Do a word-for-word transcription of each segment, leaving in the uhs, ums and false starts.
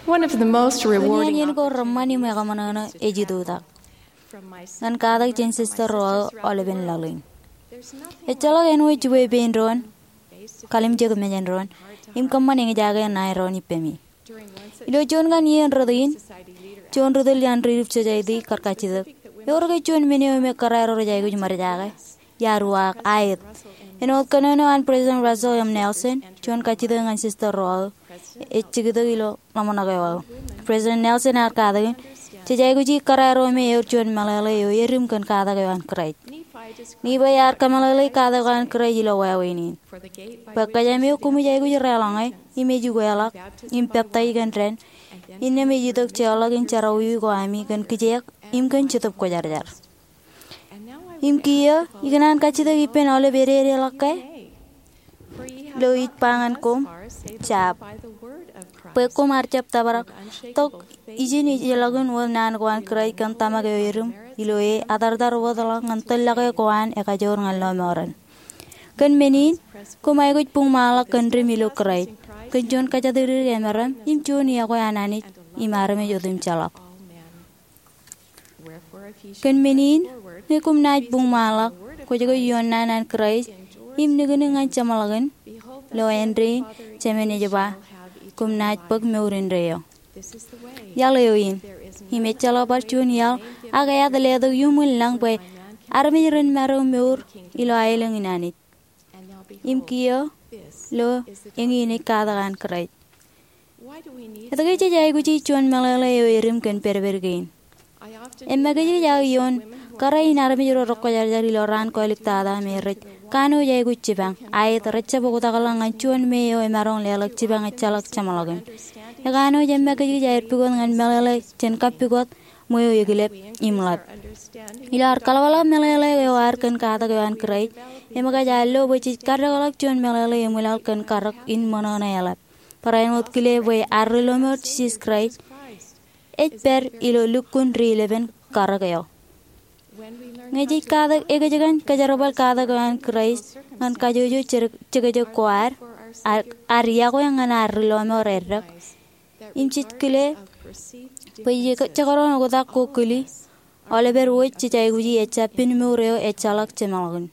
One of the most rewarding iien ko reṃṃan im ekōṃanōṇō ej itok ñan katak jān sister ro aō aolepen laḷ in. Ejjeḷọk āinwōt jibwe pein doon, kalimjek mejān doon, im kōṃṃan eñjake ṇae doon ippemi. Ilo juon kaṇ iien rot in, juon ri tōl iaan Relief Society kar kajjitōk. Eor ke juon men eo me kōrā ro rej aikuj ṃōrjake? Iar uwaak, aet. Āinwōt kōnono an President Russell M. Nelson, juon kajjitōk ñan sister ro aō ej jiktok ilo ḷōmṇak eo aō. President Nelson ear katakin, jej aikuji kōrā ro me ewōr juon meḷeḷe eo erim kōn katak eo an Kraist. Nifai ear kōmeḷeḷe katak eo an Kraist ilo wāween in. Bwe kōjām eo koṃij aikuj deḷọñe, im ej ukeḷọk, im peptaij kōn dān, innām ej itok jeorḷọk in jerọwiwi ko ami kōn kijeek, im kōn Jetōb Kwōjarjar. Im kiiō, ikōṇaan kajjitōk ippān aolep ededeḷọk ke? Lo ij ba ñan koṃ, jab. Bwe koṃ ar jab tōprak tok ijin ijellọkin wōt naan ko an Kraist kōn tōmak eo erim, ilo e atartar wōtḷọk ñan tōllọke ko an ekajoor ñan lọmọọren. Kōn men in, koṃ aikuj buñmaanḷọk kōn dim ilo Kraist, kōn juon kōjatdikdik emaroñ, im juon iọkwe an Anij, im armej otemjeḷọk. Kōn men in, ñe koṃ naaj buñmaanḷọk, kwōj ke ioon naan an Kraist, im niknik ñan jeṃḷọkin, lo āindein, Jemān ej ba, koṃ naaj bōk mour indeeo. Iaḷ eo in, im ejjeḷọk bar juon iaḷ, ak eat letok iuṃwin lañ bwe armej ren maro mour ilo aelōñ in Anij. Im kiiō, lo, eñin ej katak an Kraist. Etke jej aikuji juon meḷeḷe eo erim kōn pedped kein? Im ṃōkaj aō ioon kōrā in armej ro rekwōjarjar ilo raan kōliktata me rej kanooj aikuj jipañ, aet, rej jab oktakḷọk ñan juon me eo emaroñ leḷọk jipañ ejjeḷọk jeṃḷọkin. Ekanooj im ṃōkaj aer pukot ñan meḷeḷe jān kappukot ṃweo ekilep im ḷap. Ilo ad kaḷapḷọk meḷeḷe eo ad kōn katak eo an Kraist, eṃōkaj aer lo bwe jej kaddekḷọk juon meḷeḷe eṃwilaḷ kōn karōk in ṃōṇōṇō eḷap. Barāinwōt kile bwe ad ri lọmọọr Jisōs Kraist ej pād ilo lukkuun ri-ilepen karōk eo. Ñe jej katak ekōjkan kōjerbal katak eo an Kraist ñan kajjojo jekjek ko ad, ad iọkwe ñan ad ri lọmọọr eddek, im jej kile bwe ijekdọọn oktak ko kili, aolepād wōj jej aikuji ejjab pen mour eo ejjeḷọk jeṃḷọkin.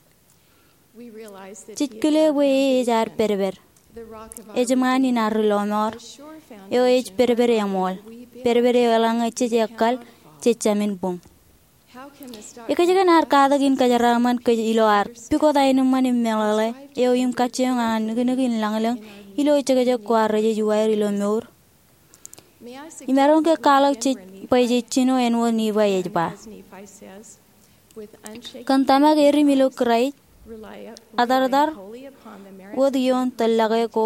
Jej kile bwe e ej ad pedped, ejṃaan in ad ri lọmọọr, eo ej pedped eṃool, pedped eo eḷaññe jej ekkal, jej jāmin buñ. Ekōjkan ad katak in kōjeraaṃṃan kōj ilo ad pukot aenōṃṃan im meḷeḷe eo im kajjioñ ñan niknik in lañlōñ ilo jekjek ko ad rejej uwaer ilo mour? Imaroñ ke kwaḷọk bwe jej jino āinwōt Nifai ej ba, kōn tōmak erim ilo Kraist, atartar wōt ioon tōllọke ko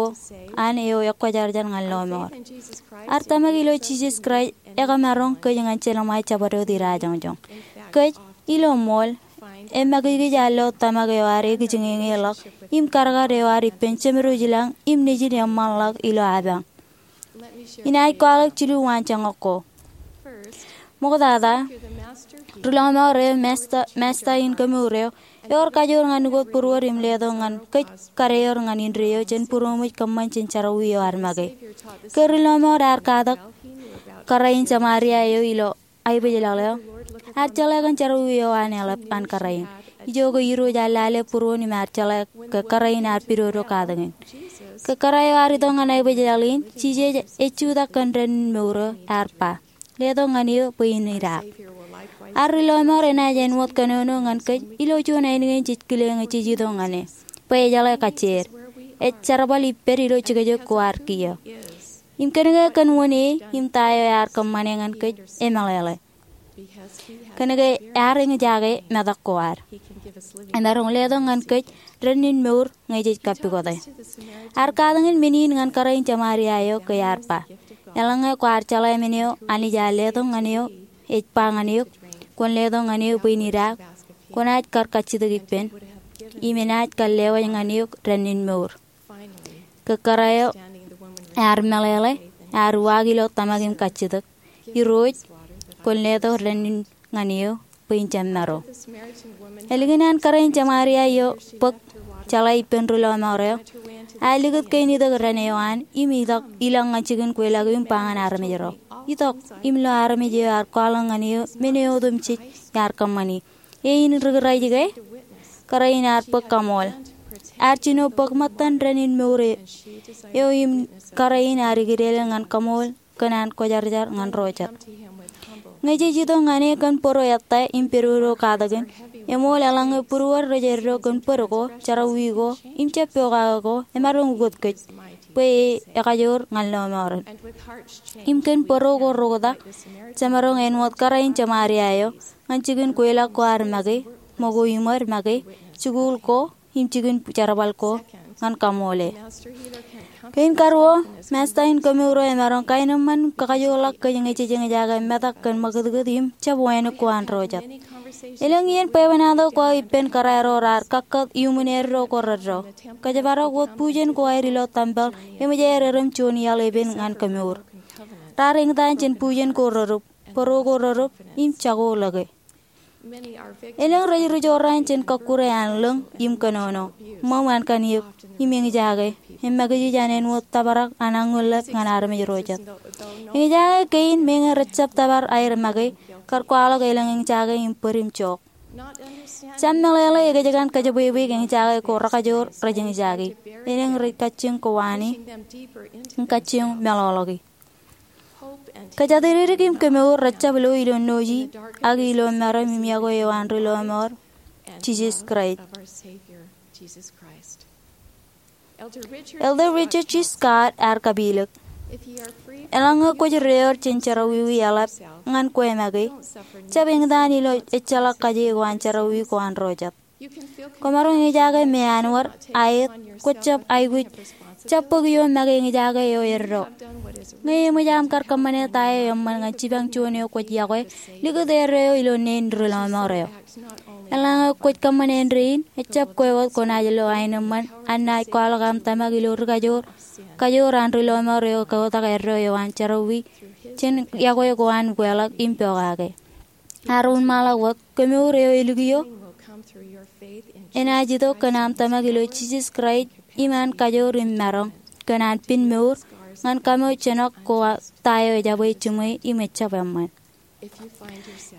an eo ekwōjarjar ñan lọmọọr. Ad tōmak ilo Jisōs Kraist ekōmaroñ kōj ñan jelṃae jabdewōt idajoñjoñ. Kōj, ilo ṃool, eṃōkajkōj aer lo tōmak eo ad ekijiñeñeḷọk, im kadkad eo ad ippān jemed eo ilañ, im nejin eṃṃanḷọk ilo apañ. Inaaj kwaḷọk jilu waanjoñak ko. Ṃoktata, ri lọmọọr eo, masta, masta in kemour eo, ewōr kajoor ñan ukot būruod im letok ñan kōj kadeor ñan indeeo jān būroṃōj kōṃṃan jān jerọwiwi eo ad make. Ke ri lọmọọr ear katak kōrā in Samaria eo ilo aebōjlaḷ eo, ear jeḷā kōn jerọwiwi eo an eḷap an kōrā in. Ijoke Irooj ear lale būruon im ear jeḷā ke kōrā in ear pidodo katakin. Ke kōrā eo ear itok ñan aebōjlaḷ in, Jisōs ej jutak kōn dān in mour eo, ear ba, letok ñan eō bwe in idaak. Ad ri lọmọọr enaaj āinwōt kōnono ñan kōj ilo juon ainikien jej kile ñe jej itok ñan e, bwe ejeḷā kajjier. Ej jerbal ippād ilo jekjek ko ad kiiō. Im kōnke kōn wōn e im ta eo ear kōṃṃane ñan kōj, emeḷeḷe. Kōnke ear eñjake metak ko ad, emaroñ letok ñan kōj dān in mour ñe jej kappukote. Ear katakin men in ñan kōrā in Samaria eo ke ear ba, eḷaññe kwaar jeḷā men eo Anij ear letok ñan eok, ej ba ñan eok, kwōn letok ñan eō bwe in idaak, kwōnaaj kar kajjitōk ippān, im enaaj kar lewōj ñan eok dān in mour. Ke kōrā eo ear meḷeḷe, ear uwaak ilo tōmak im kajjitōk, Irooj, kwōn letok dān in ñan eō bwe in jab maro. Ālikin an kōrā in Samaria eo bōk jeḷā ippān ri lọmọọr eo, Ear likūt kein itok dān eo an im itok ilọk ñan jikin kweilọk eo im ba ñan armej ro, itok im lo armej eo ear kwaḷọk ñan eō men eo otemjej ear kōṃṃani. Eñin ri Kraist ke? Kōrā in ear bōk kaṃool. Ear jino bōk ṃōttan dān in mour eo im kōrā in ear ikidel ñan kaṃool kōn an kwōjarjar ñan ro jet. Ñe jej itok ñan e kōn bōro ettā im pedodo katakin, eṃool eḷaññe būruod rej eddo kōn bōd ko, jerọwiwi ko, im jab pokake ko, emaroñ ukōt kōj bwe ekajoor ñan lọmọọren. Im kōn bōro ko roktak, jemaroñ āinwōt kōrā in Jemaria eo, ñan jikin kweilọk ko ad make, ṃōko iṃōd make, jikuuḷ ko, im jikin jerbal ko ñan kaṃool e. Kein karuo, Masta in kōmour eo emaroñ kaenōṃṃan kakajoorḷọk kōj ñe jej eñjake metak kōn ṃakūtkūt im jab wānōk ko an ro jet. Elōñ iien bwebwenato ko aō ippān kōrā ro raar kakkōt iuṃwin eddo ko reddo. Kōjparok wōt bujen ko aer ilo tempel eṃōj aer erom juon iaḷ epen ñan kōmour. Raar eñtaan jān bujen ko redūb, bōro ko redūb, im jako lōke. Elōñ rej ri jorrāān jān kọkkure an lōñ im kōnono, ṃōṃ an kanniōk, im eñjake, im makijij an āinwōt tōprak an aññoul ḷap ñan armej ro jet. Eñjake kein meñe rejjab tōpar aer make, kar kwaḷọk elōñ eñjake im bōd im jook. Jab meḷeḷe ekōjkan kōjebwebwe eñjake ko rekajoor rej eñjake. Elōñ rej kajjioñ kowaan e, im kajjioñ meḷọkḷọk e. Kōjatdikdik im kōmour rejjab lo ilo noji, ak ilo meram im iọkwe eo an ri lọmọọr, Jisōs Kraist. Elder Richard G. Scott ear kapilōk, eḷaññe kwōj deor jān jerọwiwi eḷap ñan kwe make, jab eñtaan ilo ejjeḷọk kaje ko an jerọwiwi ko an ro jet. Kwōmaroñ eñjake meanwōr, aet, kwōjab aikuj, jab bōk ioon make eñjake eo eddo. Ñe eṃōj aṃ kar kōṃṃane ta eo eṃṃan ñan jipañ juon eo kwōj iọkwe, likūt eddo eo ilo neen ri lọmọọr eo. Eḷaññe kwōj kōṃṃan āindein, ejjab kwe wōt kwōnaaj lo aenōṃṃan an naaj kwaḷọk aṃ tōmak ilo ri kajoor, kajoor an ri lọmọọr eo kotak eddo eo an jerọwiwi jān iọkwe ko an ukweḷọk im pokake. Ear wōnṃaanḷọk wōt, kōmour eo elikio enaaj itok kōn aṃ tōmak ilo Jisōs Kraist im an kajoor im maroñ kōn an pen mour ñan kaṃo jenọk ko ta eo ejabwe jiṃwe im ejjab eṃṃan.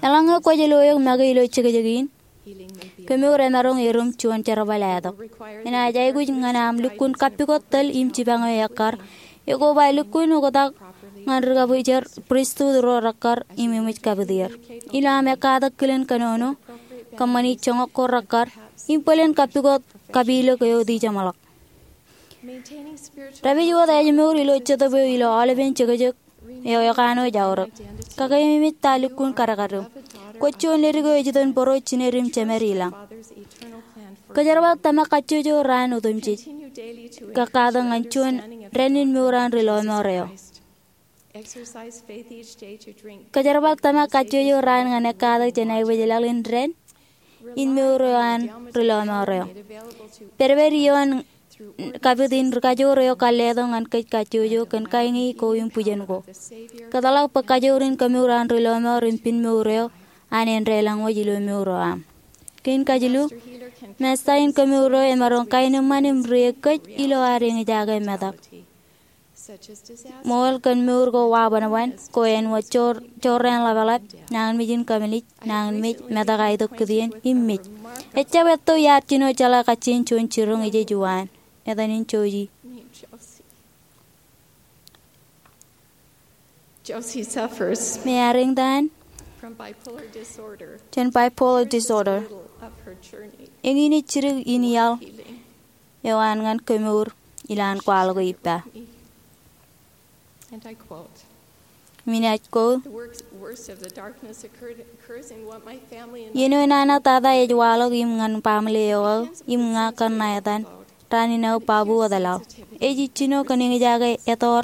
Eḷaññe kwōj lo eok make ilo jekjek in, kōmour emaroñ erom juon jerbal aetok. Enaaj aikuj ñan aṃ lukkuun kappukot tōl im jipañ eo ekkar, ekoba lukkuun oktak ñan ri kabwijer pristut ro rekkar im eṃōj kapit er. Ilo aṃ ekkatak kilen kōnono, kōṃṃani joñak ko rekkar, im bōlen kappukot kapilōk eo ej jeṃḷọk. Dāpij wōt ājmour ilo jetōb eo ilo aolepen jekjek eo ekanooj aorōk. Kakeememej ta lukkuun kadkadūṃ. Kwōj juon ledik eo ej itok bōro, jined im jemed ilañ. Kōjerbal tōmak kajjojo raan otemjej. Kōkkatak ñan juon dān in mour an ri lọmọọr eo. Kōjerbal tōmak kajjojo raan ñan ekkatak jān aebōjlaḷ in dān in mour eo an ri lọmọọr eo. Pedped ioon kapit in ri kajoor eo kalletok ñan kōj kajjojo kōn kaiñi ko im bwijen ko. Kōtḷọk bwe kajoor in kōmour an ri lọmọọr im pen mour eo an en deḷọñ wōj ilo mour eo aṃ. Kein kajilu, Masta in kōmour eo emaroñ kaenōṃṃan im ri-eok kōj ilo ad eñjake metak. Ṃool kōn mour ko wabwanbwan, ko āinwōt jor-, jorrāān ḷapḷap, nañinmej in kōmālij, nañinmej, metak aitok kūtien, im mej. Ejjab etto iar jino jeḷā kajjien juon jiroñ ejej uwaan. Etan in Josie. Josie suffers Meaar eñtaan from bipolar disorder. Jān bipolar disorder. Of her journey. Eñin ej jidik in iaḷ eo an ñan kōmour, ilaan kwaḷọk e ippa. And I quote, Im inaaj quote, "The worst, worst of the darkness occurred, occurs in what my family and I..." Iien eo nana tata ej waḷọk im ñan baaṃle eo aō im ña kōn ṇa etan, raan in aō babu wōtḷọk. Ej jino kōn eñjake ettor,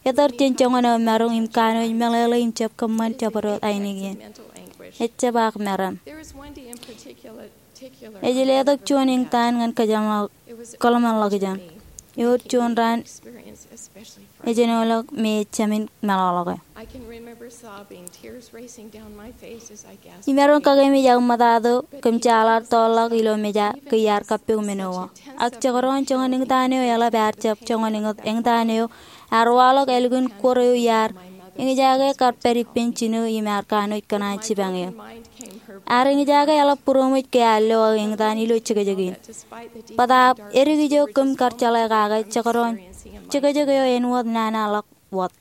ettor jān joñan aō maroñ im kanooj meḷeḷe im jab kōṃṃan jabdewōt ainikien. Ejjab ak meram. There is one day in particular Ej letok juon eñtaan ñan kōjeṃḷọk, kōḷmānḷọkjeṇ. Ewōr juon raan ejenoḷọk me ejāmin meḷọkḷọke. Can remember sobbing, tears racing down my face as I gasped. Imaroñ kakemej aō ṃōtato kōm jaḷaḷ tọọrḷọk ilo meja ke iar kappok men eo. Ak jekdọọn joñan eñtaan eo eḷap ear jab joñan eñtaan eo ear waḷọk ālikin kor eo iar eñjake kar pād ippān jino im ear kanooj kōṇaan jipañ eō. Ear eñjake eḷap būroṃōj ke ear lo aō eñtaan ilo jekjek in. Bōtaab edik ijo kōm kar jeḷā kake jekdọọn jekjek eo āinwōt nana ḷọk wōt.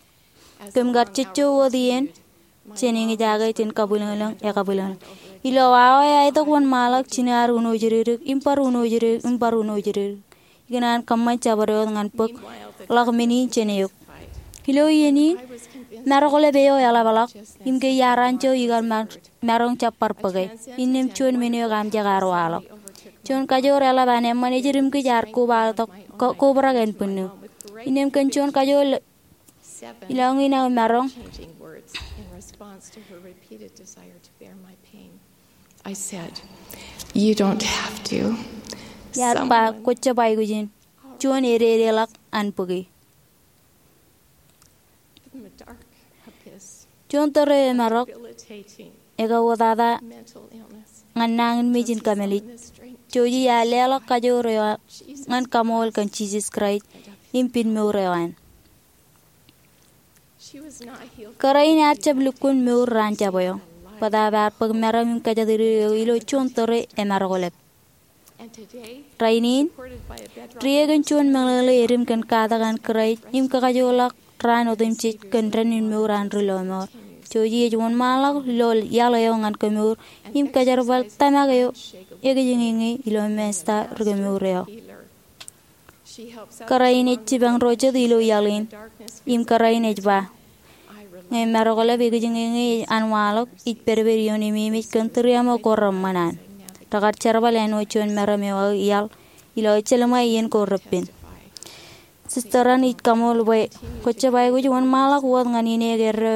Kōm kar jejjo wōt iien jān eñjake jān kabwilōñlōñ ekabwilōñlōñ. Ilo awa eo ej itok wōnṃaanḷọk jino ear unooj dik im bar unooj dik im bar unooj dik. Ikōṇaan kōṃṃan jabdewōt ñan bōk ḷọk men in jān eok. Ilo iien in, maroñḷọk eo eḷapḷọk im ke iar anjọ ikar maroñ jab bar bōke. Innām juon men eo kaamijak ear waḷọk. Juon kajoor eḷap an eṃṃan ejidimkij ear kobrak tok kobrak ānbwinnū. Innām kōn juon kajoor ilọk in aō maroñ. Changing words in response to her repeated desire to bear my pain. I said, "You don't have to." Iar ba, "Kwōjab aikuj in. Juon ededeḷọk an bōke." The dark abyss. Juon tōre emarok. Debilitating ekauwōtata mental illness. Ñan nañinmej in kamālij. Jouj im iar leḷọk kajoor eo ñan kaṃool kōn Jisōs Kraist im pinmour eo an. Kōrā in ear jab lukkuun mour raan jab eo. Bōtaab ear bōk meram im kōjatdikdik eo ilo juon tōre emaroñḷọk. Rainin, riiōkin juon meḷeḷe edim kōn katak an Kraist im kakajoorḷọk raan otemjej kōn dān in mour an ri lọmọọr. Jouj im ej wōnṃaanḷọk ilo iaḷ eo ñan kemour im kajerbal tōmak eo ekijiñeñe ilo Masta ri kemour eo. Kōrā in ej jipañ ro jet ilo iaḷ in im kōrā in ej ba, ñe maroñḷọk ekijiñeñe an waḷọk, ij pedped ioon ememej kōn tūriaṃo ko reṃṃan an. Rekar jerbal āinwōt juon meram eo aō iaḷ ilo ejjeḷọk ṃae iien ko repen. Sister an, ij kaṃool bwe kwōjab aikuj wōnṃaanḷọk wōt ñan inekōrā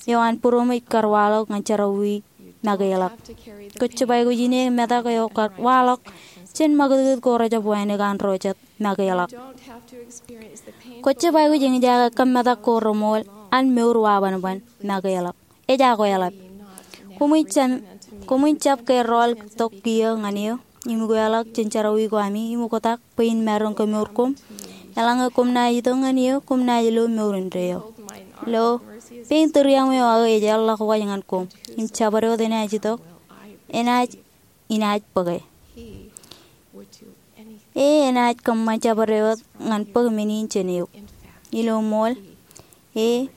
eo an būroṃōj kar waḷọk ñan jerọwiwi makeḷọk. Kwōjab aikuj ineek metak eo kar waḷọk jān ṃakūtkūt ko rejab wānōk an ro jet makeḷọk. Kwōjab aikuj eñjake kab metak ko reṃool an mour wabanban makeḷọk. Ejako eḷap. Koṃwin jab ke rọọl tok kiiō ñan eō im ukeḷọk jān jerọwiwi ko ami im oktak bwe in maroñ kemour koṃ. Eḷaññe koṃ naaj itok ñan eō, koṃ naaj lo mour indeeo. Lo, pein tūriaṃo eo aō ej eḷḷọk waj ñan koṃ im jabdewōt enaaj itok, enaaj, inaaj bōke. E enaaj kōṃṃan jabdewōt ñan bōk men in jān eok. Ilo ṃool, e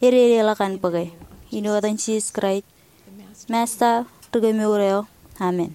ededeḷọk an bōke. Ilo etan Jisōs Kraist, Masta ri kemour eo. Amen.